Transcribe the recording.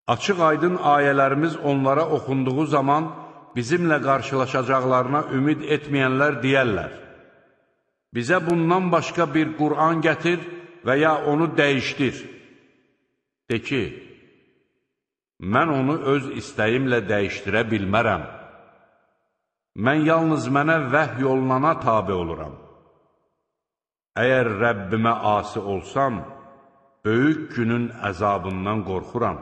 Açıq-aydın ayələrimiz onlara oxunduğu zaman bizimlə qarşılaşacaqlarına ümid etməyənlər deyərlər: bizə bundan başqa bir Qur'an gətir və ya onu dəyişdir. De ki, mən onu öz istəyimlə dəyişdirə bilmərəm. Mən yalnız mənə vəhy olunana tabe oluram. Əgər Rəbbimə asi olsam, böyük günün əzabından qorxuram.